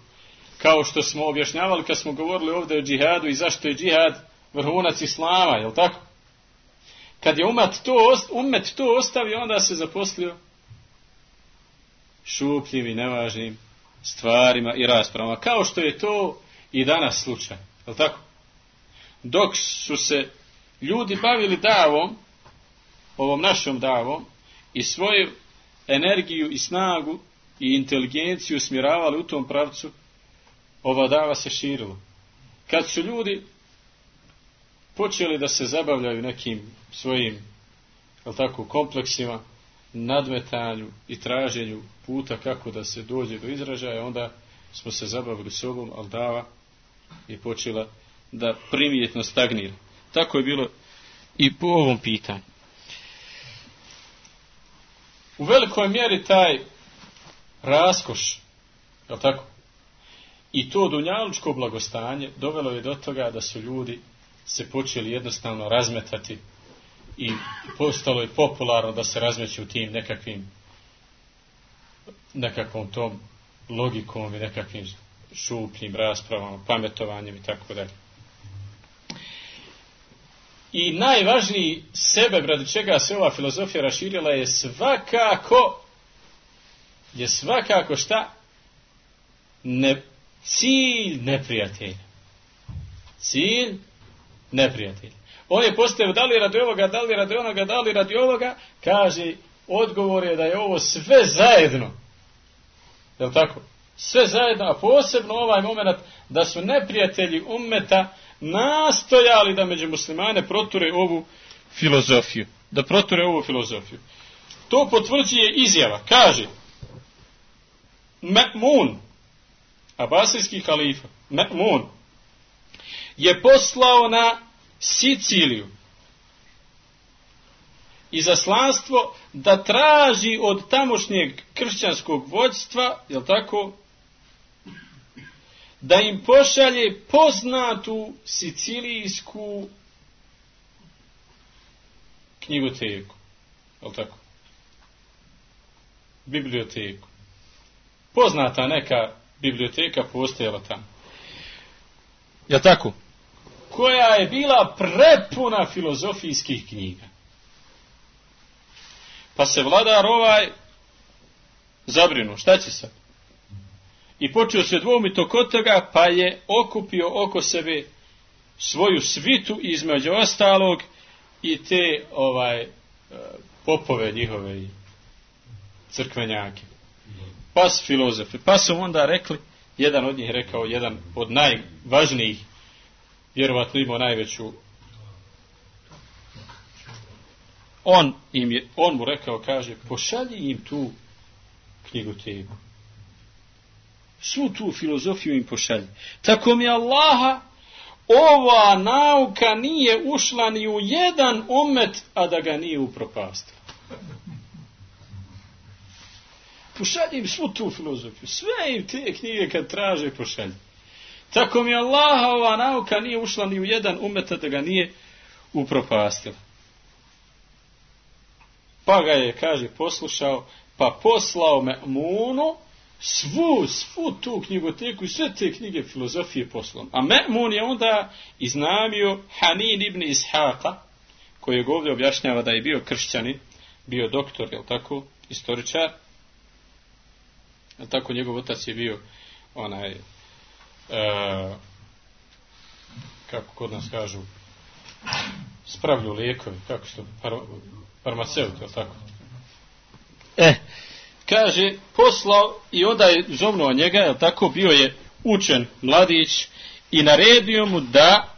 Kao što smo objašnjavali kad smo govorili ovdje o džihadu i zašto je džihad vrhunac islama, je li tako? Kad je ummet to, ummet to ostavio, onda se zaposlio šupljim i nevažnim stvarima i raspravama, kao što je to i danas slučaj. Je li tako? Dok su se ljudi bavili davom, ovom našom davom, i svoju energiju i snagu i inteligenciju usmjeravali u tom pravcu, ova dava se širila. Kad su ljudi počeli da se zabavljaju nekim svojim, je li tako, kompleksima, nadmetanju i traženju puta kako da se dođe do izražaja, onda smo se zabavili sobom, ali dava je počela da primjetno stagnira. Tako je bilo i po ovom pitanju. U velikoj mjeri taj raskoš, je li tako, i to dunjalučko blagostanje dovelo je do toga da su ljudi se počeli jednostavno razmetati i postalo je popularno da se razmeću u tim nekakvim nekakvom tom logikom i nekakvim šupljim raspravama, pametovanjem i tako dalje. I najvažniji sebe radi čega se ova filozofija raširila je svakako je svakako šta? Ne, cilj neprijatelja. Cilj neprijatelja. On je postavio da li radi ovoga, da li radi onoga, da li radi ovoga, kaže, odgovor je da je ovo sve zajedno. Je li tako? Sve zajedno, a posebno ovaj moment da su neprijatelji ummeta nastojali da među muslimane proture ovu filozofiju. Da proture ovu filozofiju. To potvrđuje izjava. Kaže, Ma'mun, abasijski halifa, Ma'mun, je poslao na Siciliju izaslanstvo da traži od tamošnjeg kršćanskog vođstva, jel tako, da im pošalje poznatu sicilijsku knjigoteku, jel tako, biblioteku. Poznata neka biblioteka postojala tamo. Jel tako? Koja je bila prepuna filozofijskih knjiga. Pa se vladar ovaj zabrinuo, šta će sad? I počeo se dvoumiti oko toga, pa je okupio oko sebe svoju svitu, između ostalog i te ovaj popove njihove i crkvenjake. Pa su filozofi. Pa su onda rekli, jedan od njih rekao, jedan od najvažnijih, vjerovatno imao najveću, on, im je, on mu rekao, kaže, pošalji im tu knjigoteku. Svu tu filozofiju im pošalji. Tako mi Allaha, ova nauka nije ušla ni u jedan ummet, a da ga nije upropastila. Pošalji im svu tu filozofiju. Sve im te knjige kad traže pošalji. Tako mi Allaha, ova nauka nije ušla ni u jedan ummet, a da ga nije upropastila. Pa ga je, kaže, poslušao, pa poslao Ma'munu svu, svu tu knjigoteku i sve te knjige filozofije poslom. A Me'mun je onda iznamio Hanin ibn Ishaqa, koji ovdje objašnjava da je bio kršćanin, bio doktor, jel tako, istoričar, jel tako, njegov otac je bio onaj, uh, kako kod nas kažu, spravlju lijekovi, kako što, par, farmaceut, jel tako? Eh, kaže, poslao i onda je zovnuo njega, jel tako, bio je učen mladić i naredio mu da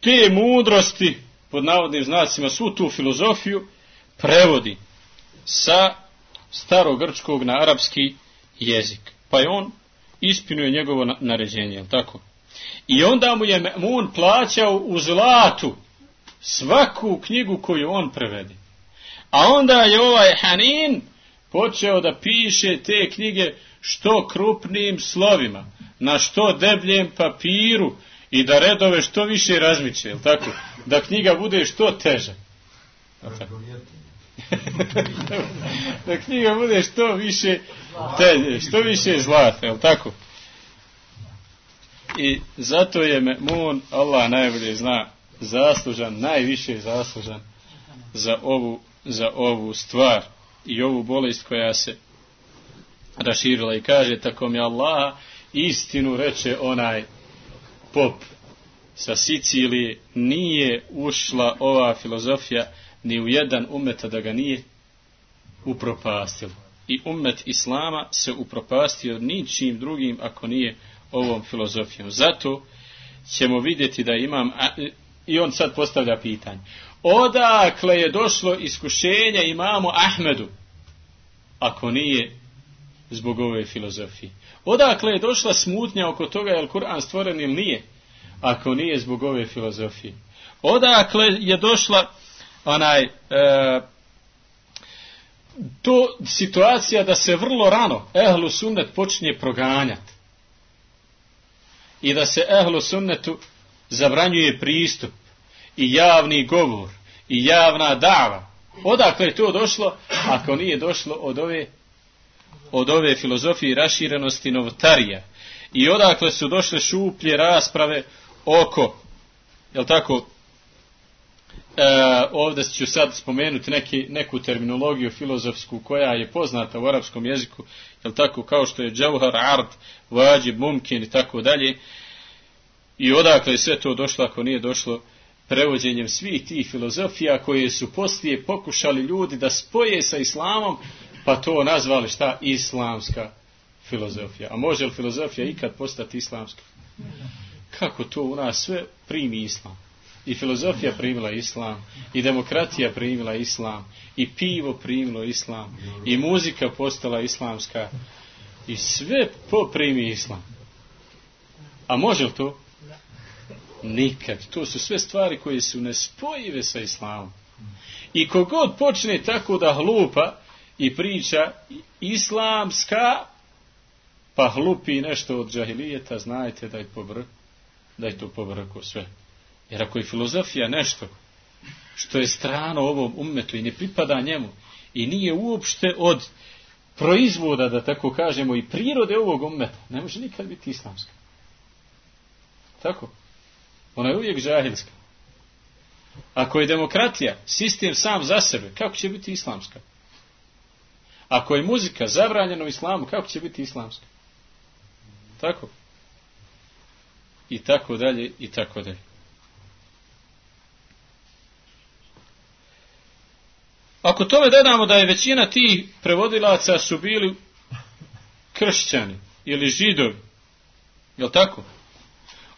te mudrosti, pod navodnim znacima, svu tu filozofiju prevodi sa starogrčkog na arapski jezik. Pa je on ispunio njegovo naređenje, jel tako? I onda mu je Me'mun plaćao u zlatu svaku knjigu koju on prevedi. A onda je ovaj Hanin počeo da piše te knjige što krupnijim slovima, na što debljem papiru i da redove što više razmiče, jel tako? Da knjiga bude što teža. Da knjiga bude što više teže, što više zlata, jel tako? I zato je Me'mun, Allah najbolje zna, zaslužan, najviše zaslužan za ovu, za ovu stvar i ovu bolest koja se raširila. I kaže, tako mi Allah, istinu reče onaj pop sa Sicilije, nije ušla ova filozofija ni u jedan umet da ga nije upropastilo. I umet Islama se upropastio ničim drugim ako nije ovom filozofijom. Zato ćemo vidjeti da imam, i on sad postavlja pitanje, odakle je došlo iskušenje imamu Ahmedu ako nije zbog ove filozofije? Odakle je došla smutnja oko toga je li Kur'an stvoren ili nije ako nije zbog ove filozofije? Odakle je došla onaj e, to situacija da se vrlo rano ehlu sunnet počinje proganjati i da se ehlu sunnetu zabranjuje pristup i javni govor i javna dava? Odakle je to došlo ako nije došlo od ove od ove filozofije raširenosti novotarija? I odakle su došle šuplje rasprave oko, jel tako, e, ovdje ću sad spomenuti neki, neku terminologiju filozofsku koja je poznata u arapskom jeziku, jel tako, kao što je džauhar, ard, vađib, mumkin i tako dalje. I odakle je sve to došlo ako nije došlo prevođenjem svih tih filozofija koje su poslije pokušali ljudi da spoje sa islamom, pa to nazvali šta? Islamska filozofija. A može li filozofija ikad postati islamska? Kako to u nas sve primi islam? I filozofija primila islam, i demokratija primila islam, i pivo primilo islam, i muzika postala islamska, i sve poprimi islam. A može li to? Nikad. To su sve stvari koje su nespojive sa islamom. I kogod počne tako da hlupa i priča islamska, pa hlupi nešto od džahilijeta, znajte da je pobr, da je to pobrko sve. Jer ako je filozofija nešto što je strano ovom ummetu i ne pripada njemu i nije uopšte od proizvoda, da tako kažemo, i prirode ovog ummeta, ne može nikad biti islamska. Tako? Ona je uvijek džahilska. Ako je demokratija sistem sam za sebe, kako će biti islamska? Ako je muzika zabranjena u islamu, kako će biti islamska? Tako? I tako dalje, i tako dalje. Ako tome dodamo da je većina tih prevodilaca su bili kršćani ili židovi, jel tako?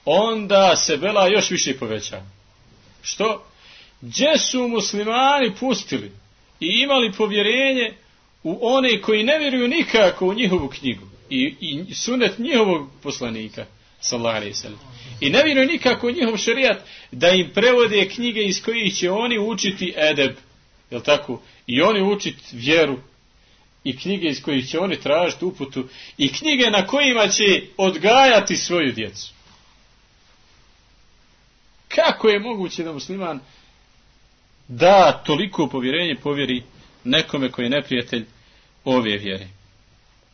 Onda se bela još više povećava. Što? Gdje su muslimani pustili i imali povjerenje u one koji ne vjeruju nikako u njihovu knjigu i, i sunet njihovog poslanika, sallallahu alejhi ve sellem, i ne vjeruju nikako u njihov šerijat, da im prevode knjige iz kojih će oni učiti edeb, jel tako? I oni učiti vjeru, i knjige iz kojih će oni tražiti uputu, i knjige na kojima će odgajati svoju djecu. Kako je moguće da musliman da toliko povjerenje povjeri nekome koji je neprijatelj ove vjere?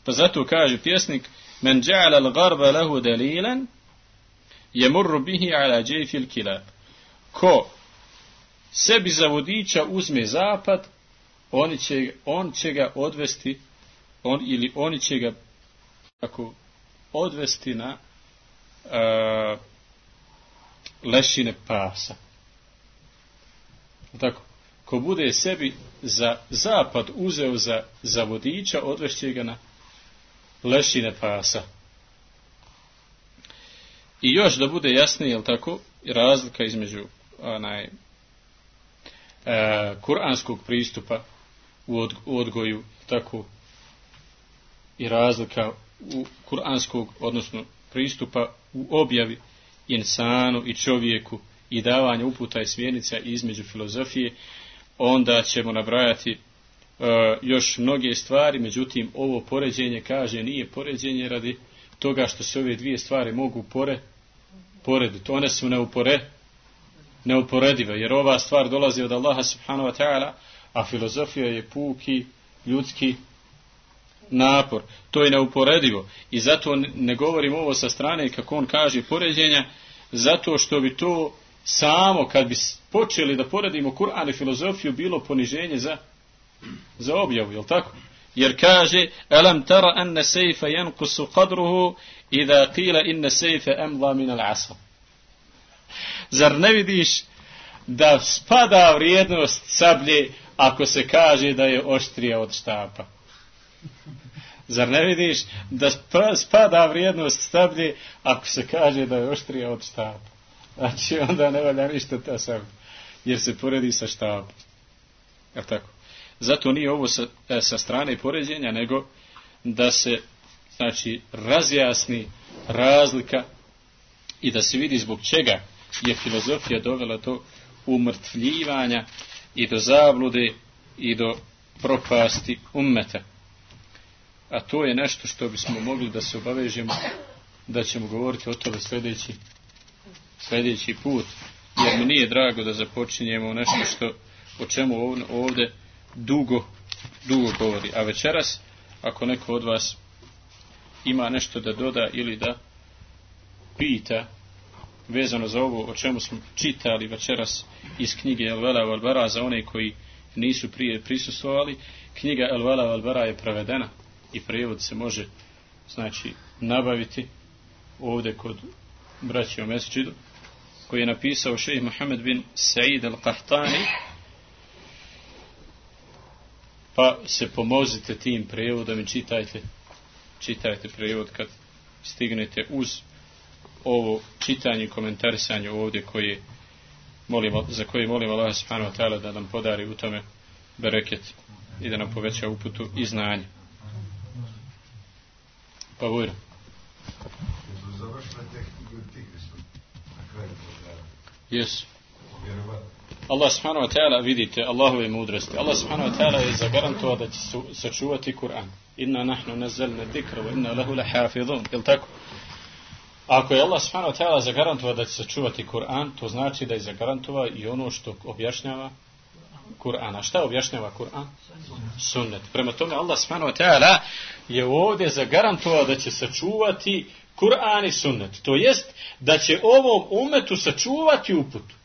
Pa zato kaže pjesnik: Men ja'ala al-gharba lahu dalilan yamurru bihi ala jayfi al-kilab. Ko sebi za vodiča uzme zapad, on će, on će ga odvesti, on, ili oni će ga tako odvesti na uh, lešine pasa. Tako, ko bude sebi za zapad uzeo za, za vodiča, odvešće ga na lešine pasa. I još da bude jasnije, jel tako, razlika između onaj e, kuranskog pristupa u, od, u odgoju, tako, i razlika u kuranskog, odnosno pristupa u objavi insanu i čovjeku i davanje uputa i smjernica između filozofije, onda ćemo nabrajati e, još mnoge stvari. Međutim, ovo poređenje, kaže, nije poređenje radi toga što se ove dvije stvari mogu pore, porediti. One su neupore, neuporedive, jer ova stvar dolazi od Allaha subhanahu wa ta'ala, a filozofija je puki ljudski napor. To je neuporedivo. I zato ne govorim ovo sa strane, kako on kaže, poređenja, zato što bi to samo, kad bi počeli da poredimo Kur'an i filozofiju, bilo poniženje za, za objavu, jel tako? Jer kaže: Alam tara anna sejfa yanqusu qadruhu idha qila inna sejfa amla min al-asa. Zar ne vidiš da spada vrijednost sablje ako se kaže da je oštrija od štapa? Zar ne vidiš da spada vrijednost sablje ako se kaže da je oštrija od štapa? Znači onda ne valja ništa ta sablja, jer se poredi sa štapom. Jel tako? Zato nije ovo sa, sa strane poređenja, nego da se, znači, razjasni razlika i da se vidi zbog čega je filozofija dovela do umrtvljivanja i do zablude i do propasti ummeta. A to je nešto što bismo mogli da se obavežemo, da ćemo govoriti o tome sljedeći, sljedeći put, jer mi nije drago da započinjemo nešto što, o čemu ovdje dugo, dugo govori. A večeras, ako neko od vas ima nešto da doda ili da pita vezano za ovo o čemu smo čitali večeras iz knjige El-Vela wal-Bara, za one koji nisu prije prisustvovali, knjiga El-Vela wal-Bara je prevedena i prijevod se može, znači, nabaviti ovdje kod braće u mesdžidu, koji je napisao šejh Muhammed bin Said al-Qahtani. Pa se pomozite tim prijevodom i čitajte, čitajte prijevod kad stignete uz ovo čitanje i komentarisanje ovdje koje molimo, za koje molimo Allah subhanahu wa ta'ala da nam podari u tome bereket i da nam poveća uputu i znanje. Pa vojra. Jesu. Allah subhanahu wa ta'ala, vidite Allahove mudrosti. Allah subhanahu wa ta'ala je zagarantovao da će sačuvati Kur'an. Inna nahnu nazzalna dhikra wa inna lahu lahafizun. Jel tako? Ako je Allah subhanahu wa ta'ala zagarantovao da će sačuvati Kur'an, to znači da je zagarantovao i ono što objašnjava Kur'ana. Šta objašnjava Kur'an? Sunnet. Prema tome Allah subhanahu wa ta'ala je ovdje zagarantovao da će sačuvati Kur'an i sunnet. To jest da će ovom umetu sačuvati uputu.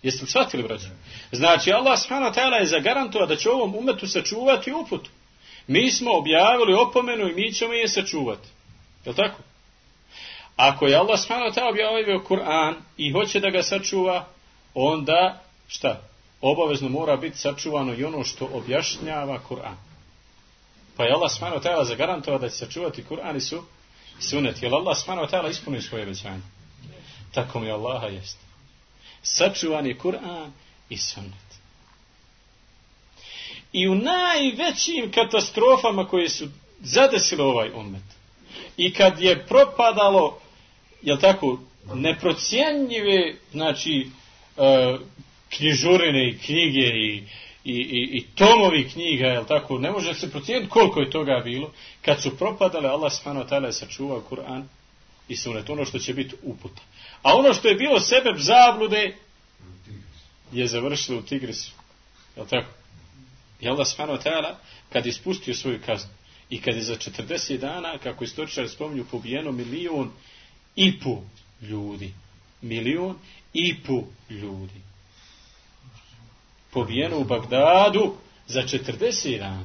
Jeste li shvatili, braći? Znači, Allah subhanahu wa ta'ala je zagarantovao da će ovom umetu sačuvati uputu. Mi smo objavili opomenu i mi ćemo je sačuvati. Je li tako? Ako je Allah subhanahu wa ta'ala objavio Kur'an i hoće da ga sačuva, onda, šta? Obavezno mora biti sačuvano i ono što objašnjava Kur'an. Pa je Allah subhanahu wa ta'ala zagarantovao da će sačuvati Kur'an i su sunnet. Je li Allah subhanahu wa ta'ala ispunio svoje obećanje? Tako mi Allaha jest. Sačuvan je Kur'an i sunnet. I u najvećim katastrofama koje su zadesile ovaj ummet, i kad je propadalo, jel tako, neprocjenjive, znači, uh, knjižurine i knjige i, i, i, i tomovi knjiga, jel tako, ne može se procijeniti koliko je toga bilo, kad su propadale, Allah subhanahu wa ta'ala je sačuvao Kur'an i sunnet, ono što će biti uputa. A ono što je bilo sebeb zablude je završilo u Tigrisu. Je li tako? I Allah subhanahu wa ta'ala kad je spustio svoju kaznu I kad je za četrdeset dana, kako istoričari spominju, pobijeno milion i po ljudi. Milion i po ljudi. Pobijeno u Bagdadu za četrdeset dana.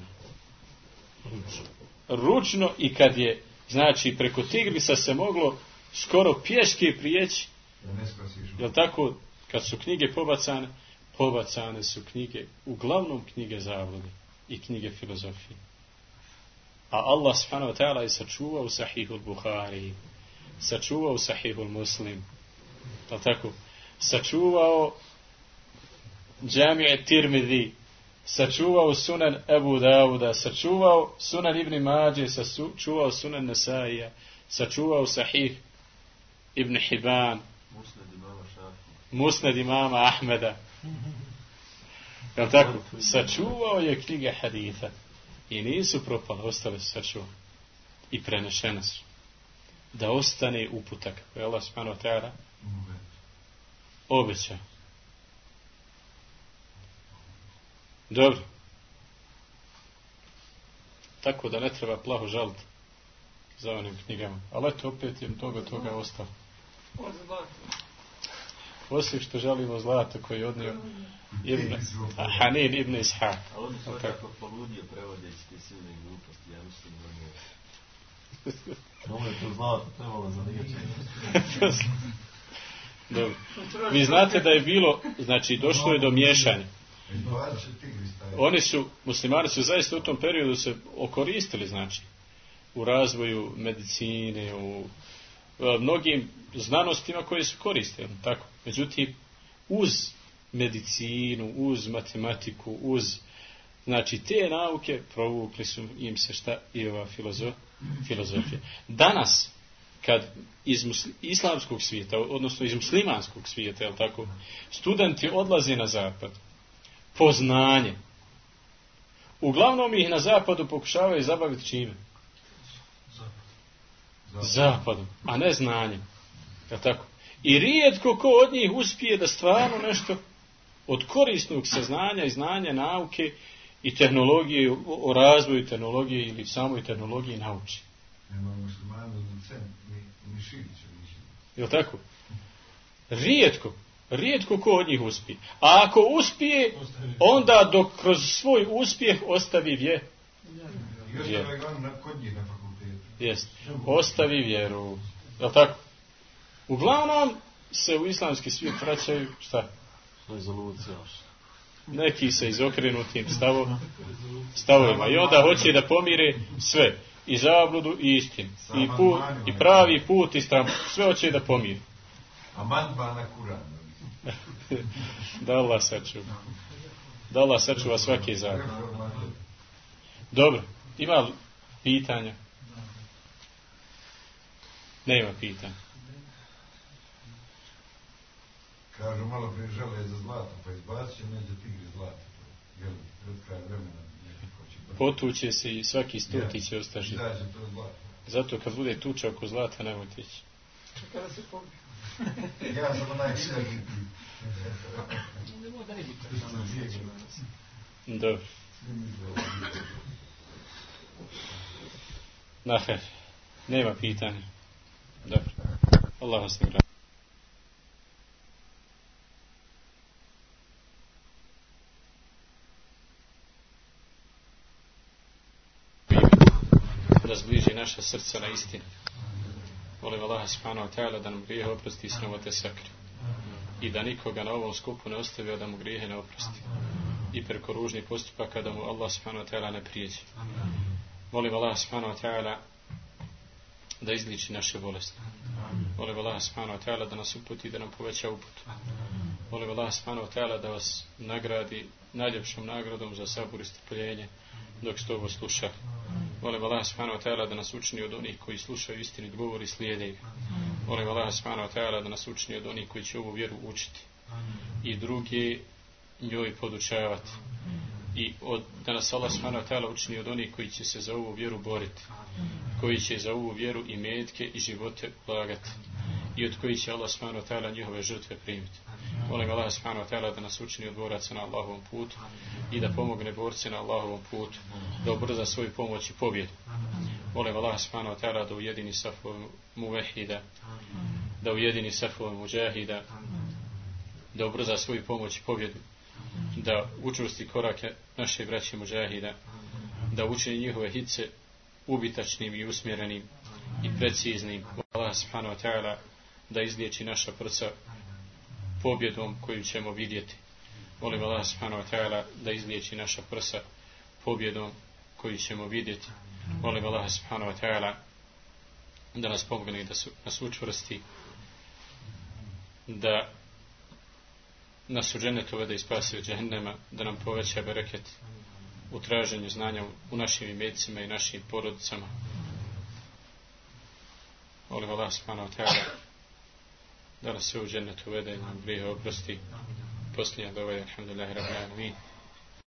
Ručno, i kad je, znači, preko Tigrisa se moglo skoro pješke prijeći. Jel tako, kad su knjige pobacane, pobacane su knjige, uglavnom knjige zablude i knjige filozofije. A Allah subhanahu wa ta'ala je sačuvao Sahihul Buhari, sačuvao Sahihul Muslim, jel tako, sačuvao Džamije Tirmidhi, sačuvao Sunan Ebu Dauda, sačuvao Sunan Ibn Mađe, sačuvao Sunan Nesaija, sačuvao Sahih Ibn Hibban, Musnad imama Ahmeda. Jel tako? Sačuvao je knjige haditha i nisu propale, ostale su sačuvane i prenešene su. Da ostane uputak kako je Allah subhanahu wa ta'ala obećao. Dobro. Tako da ne treba plaho žaliti za onim knjigama. Ali eto, opet je toga toga ostalo. Osim što žalimo zlato koji je odnio Ibn, Hanin ibn Ishaq. A on je tako poludio prevodeći te silne gluposti, ja mislim da nije. Ovo je to zlato trebalo za liječenje. Dobro. Vi znate da je bilo, znači došlo je do miješanja. Oni su, muslimani su zaista u tom periodu se okoristili, znači, u razvoju medicine, u mnogim znanostima koje su koristili, tako. Međutim, uz medicinu, uz matematiku, uz, znači, te nauke provukli su im se šta i ova filozof, filozofija. Danas, kad iz musli, islamskog svijeta, odnosno iz muslimanskog svijeta, jel tako, studenti odlaze na zapad, po znanje. Uglavnom ih na zapadu pokušavaju zabaviti čime? Zapadom, a ne znanjem. Jel tako? I rijetko ko od njih uspije da stvarno nešto od korisnog saznanja i znanja, nauke i tehnologije, o razvoju tehnologije ili samoj tehnologiji nauči. Nema muslimanu docent, ni, ni Širića. Jel tako? Rijetko. Rijetko ko od njih uspije. A ako uspije, onda dok kroz svoj uspjeh ostavi vje. Vjeru. Jest. Ostavi vjeru. Jel tako? Uglavnom se u islamski svijet vraćaju šta? Neki se izokrenutim stavo, stavovima. I onda hoće da pomire sve. I zabludu i istinu. I, put, i pravi put i stranput. Sve hoće da pomire. Amandman na Kur'an. Da Allah sačuva. Da Allah sačuva svaki zakon. Dobro. Ima li pitanja? Nema pitanja. Kažu malo prije žele za zlato, pa izbacit će neđe tigri zlato. Jel, pred kraj vremena nekako će... Potuće se i svaki stoti će ostaži. Izađe to zlato. Zato kad bude tuča oko zlata, nemojte ići. Kada se pobije. Ja sam onaj srednji. Nemo da ne biti. Dobro. Naher. Nema pitanja. Dobro. Allah vas nagradi. Da zbliži naša srca na istinu. Molim Allaha subhanahu wa ta'ala da nam grijehe oprosti i sramote sakri. I da nikoga na ovom skupu ne ostavi, da mu grijehe ne oprosti. I preko ružnih postupaka da mu Allah subhanahu wa ta'ala ne prijeđe. Molim Allaha subhanahu wa ta'ala da izliči naše bolesti. Molim Allaha subhanahu wa ta'ala da nas uputi i da nam poveća uputu. Molim Allaha subhanahu wa ta'ala da vas nagradi najljepšom nagradom za sabor i strpljenje dok ste ovo slušali. Molim Allah subhanahu wa ta'ala da nas učini od onih koji slušaju istinit govor i slijede ga. Molim Allah subhanahu wa ta'ala da nas učini od onih koji će ovu vjeru učiti i drugi njoj podučavati. I od, da nas Allah subhanahu wa ta'ala učini od onih koji će se za ovu vjeru boriti, koji će za ovu vjeru i metke i živote ulagati i od koji će Allah subhanahu wa ta'ala njihove žrtve primiti. Molim Allah subhanahu wa ta'ala da nas učini od boraca na Allahovom putu i da pomogne borci na Allahovom putu, da ubrza svoju pomoć i pobjedu. Molim Allah subhanahu wa ta'ala da ujedini safove muvehida, da ujedini safove muđahida, da ubrza svoju pomoć i pobjedu, da učvrsti korake naše braće muđahida, da učini njihove hitce ubitačnim i usmjerenim i preciznim. Allah subhanahu wa ta'ala da izliječi naša prsa pobjedom koju ćemo vidjeti. Molim Allah subhanahu wa ta'ala da izliječi naša prsa pobjedom koju ćemo vidjeti. Molim Allah subhanahu wa ta'ala da nas pomogne, da nas učvrsti, da nas u džennetu uvede i spasi od džehennema, da nam poveća bereket u traženju znanja u našim imecima i našim porodicama. Molim Allah subhanahu wa ta'ala da nas sve u džennetu uvede i nam grijehe oprosti. Posljednja dova je alhamdulillahi rabbil alamin.